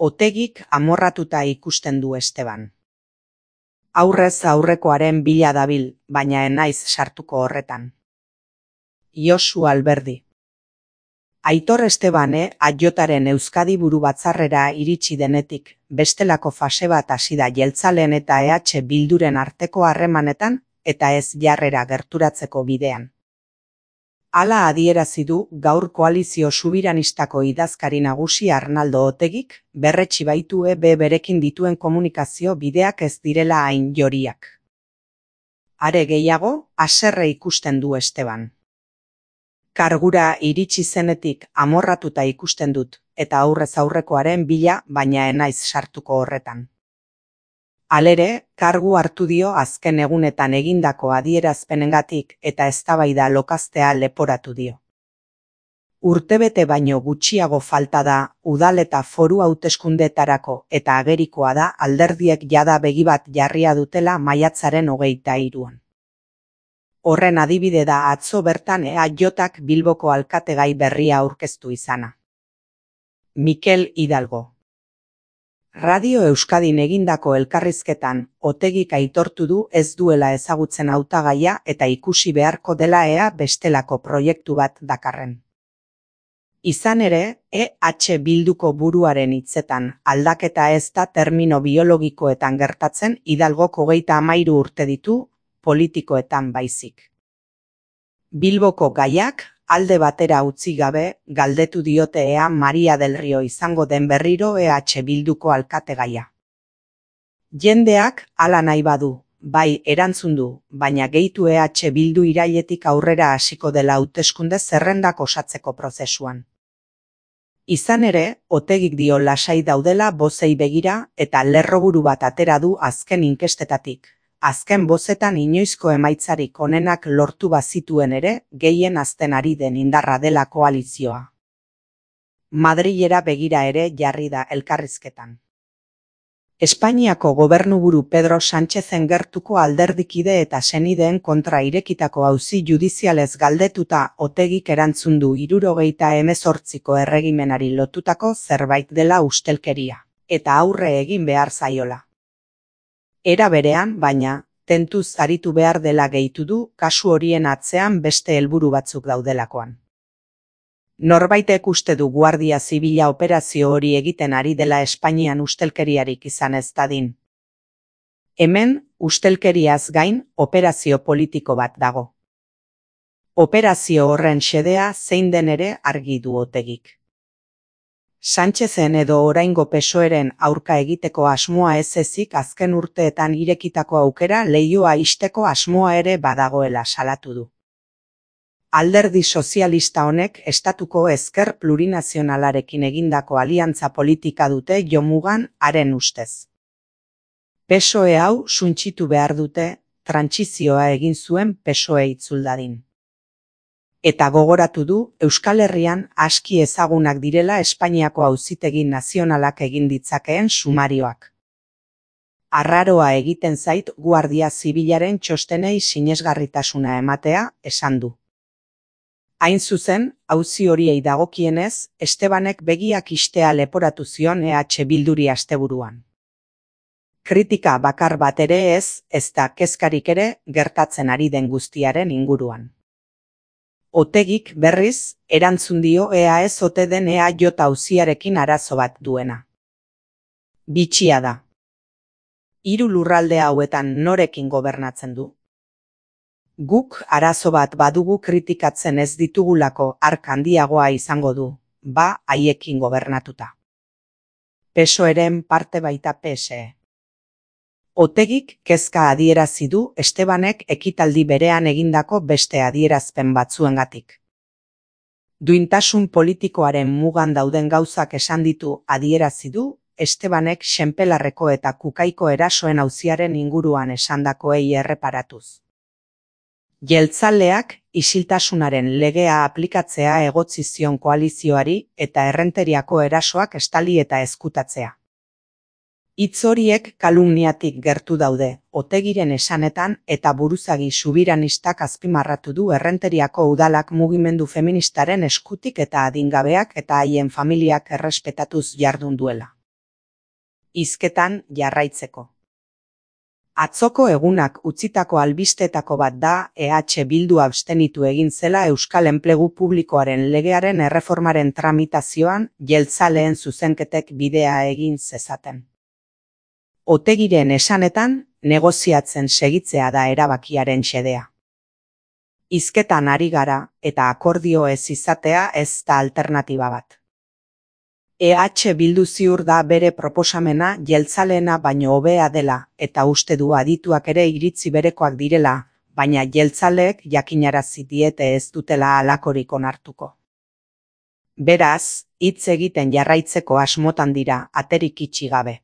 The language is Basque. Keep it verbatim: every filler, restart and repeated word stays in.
Otegik amorratuta ikusten du Esteban. Aurrez aurrekoaren bila dabil, baina ez naiz sartuko horretan. Josu Alberdi. Aitor Estebane Aiotaren Euskadi Buru Batzarrera iritsi denetik, bestelako fase bat hasi da jeltzaleen eta E H Bilduren arteko harremanetan eta ez jarrera gerturatzeko bidean. Hala adierazi du gaur koalizio subiranistako idazkari nagusi Arnaldo Otegik, berretsi baitu E B berekin dituen komunikazio bideak ez direla hain joriak. Are gehiago, haserre ikusten du Esteban. Kargura iritsi zenetik amorratuta ikusten dut, eta aurrez aurrekoaren bila, baina ez naiz sartuko horretan. Halere, kargu hartu dio azken egunetan egindako adierazpenengatik eta eztabaida lokaztea leporatu dio. Urtebete baino gutxiago falta da, udal eta foru hauteskundeetarako eta agerikoa da alderdiek jada begi bat jarria dutela maiatzaren hogeita hiruan. Horren adibide da atzo bertan E A J-ak Bilboko alkategai berria aurkeztu izana. Mikel Hidalgo. Radio Euskadin egindako elkarrizketan, Otegik aitortu du ez duela ezagutzen hautagaia eta ikusi beharko dela ea bestelako proiektu bat dakarren. Izan ere, E H Bilduko buruaren hitzetan, aldaketa ez da termino biologikoetan gertatzen Hidalgok hogeita hamairu urte ditu, politikoetan baizik. Bilboko gaiak, alde batera utzi gabe, galdetu diote ea Maria del Rio izango den berriro E H Bilduko alkategaia. Jendeak hala nahi badu, bai erantzun du, baina gehitu E H Bildu irailetik aurrera hasiko dela hauteskunde zerrendak osatzeko prozesuan. Izan ere, Otegik dio lasai daudela bozei begira eta lerroburu bat atera du azken inkestetatik. Azken bozetan inoizko emaitzarik onenak lortu bazituen ere, gehien hazten ari den indarra dela koalizioa. Madrilera begira ere jarri da elkarrizketan. Espainiako gobernuburu Pedro Sánchezen gertuko alderdikide eta senideen kontra irekitako auzi judizialez galdetuta Otegik erantzun du hirurogeita hemezortziko erregimenari lotutako zerbait dela ustelkeria, eta aurre egin behar zaiola. Era berean, baina, tentuz aritu behar dela gehitu du kasu horien atzean beste helburu batzuk daudelakoan. Norbaitek uste du Guardia Zibila operazio hori egiten ari dela Espainian ustelkeriarik izan ez dadin. Hemen, ustelkeriaz gain, operazio politiko bat dago. Operazio horren xedea zein den ere argi du Otegik. Sánchezen edo oraingo P S O E-ren aurka egiteko asmoa ez ezik azken urteetan irekitako aukera leihoa ixteko asmoa ere badagoela salatu du. Alderdi sozialista honek estatuko ezker plurinazionalarekin egindako aliantza politika dute jomugan haren ustez. P S O E hau suntsitu behar dute, trantsizioa egin zuen P S O E itzuldadin. Eta gogoratu du Euskal Herrian aski ezagunak direla Espainiako Auzitegi Nazionalak egin ditzakeen sumarioak. Arraroa egiten zait Guardia Zibilaren txostenei sinesgarritasuna ematea, esan du. Hain zuzen, auzi horiei dagokienez, Estebanek begiak ixtea leporatu zion E H Bilduri asteburuan. Kritika bakar bat ere ez, ez da kezkarik ere gertatzen ari den guztiaren inguruan. Otegik berriz, erantzun dio ea ez ote den E A J auziarekin arazo bat duena. Bitxia da. Hiru lurralde hauetan norekin gobernatzen du? Guk arazo bat badugu kritikatzen ez ditugulako ark handiagoa izango du, ba haiekin gobernatuta. P S O E-ren parte baita P S E. Otegik kezka adierazi du Estebanek ekitaldi berean egindako beste adierazpen batzuengatik. Duintasun politikoaren mugan dauden gauzak esan ditu adierazi du Estebanek Xenpelarreko eta Kukaiko erasoen auziaren inguruan esandakoei erreparatuz. Jeltzaleak isiltasunaren legea aplikatzea egotzi zion koalizioari eta Errenteriako erasoak estali eta ezkutatzea. Hitz horiek kalumniatik gertu daude, Otegiren esanetan eta buruzagi subiranistak azpimarratu du Errenteriako udalak mugimendu feministaren eskutik eta adingabeak eta haien familiak errespetatuz jardun duela. hizketan jarraitzeko. Atzoko egunak utzitako albisteetako bat da E H Bildu abstenitu egin zela Euskal Enplegu Publikoaren legearen erreformaren tramitazioan jeltzaleen zuzenketek bidea egin zezaten. Otegiren esanetan, negoziatzen segitzea da erabakiaren xedea. Hizketan ari gara eta akordio ez izatea ez da alternatiba bat. E H Bildu ziur da bere proposamena jeltzaleena baino hobea dela eta uste du adituak ere iritzi berekoak direla, baina jeltzaleek jakinarazi diete ez dutela halakorik onartuko. Beraz, hitz egiten jarraitzeko asmotan dira aterik itxi gabe.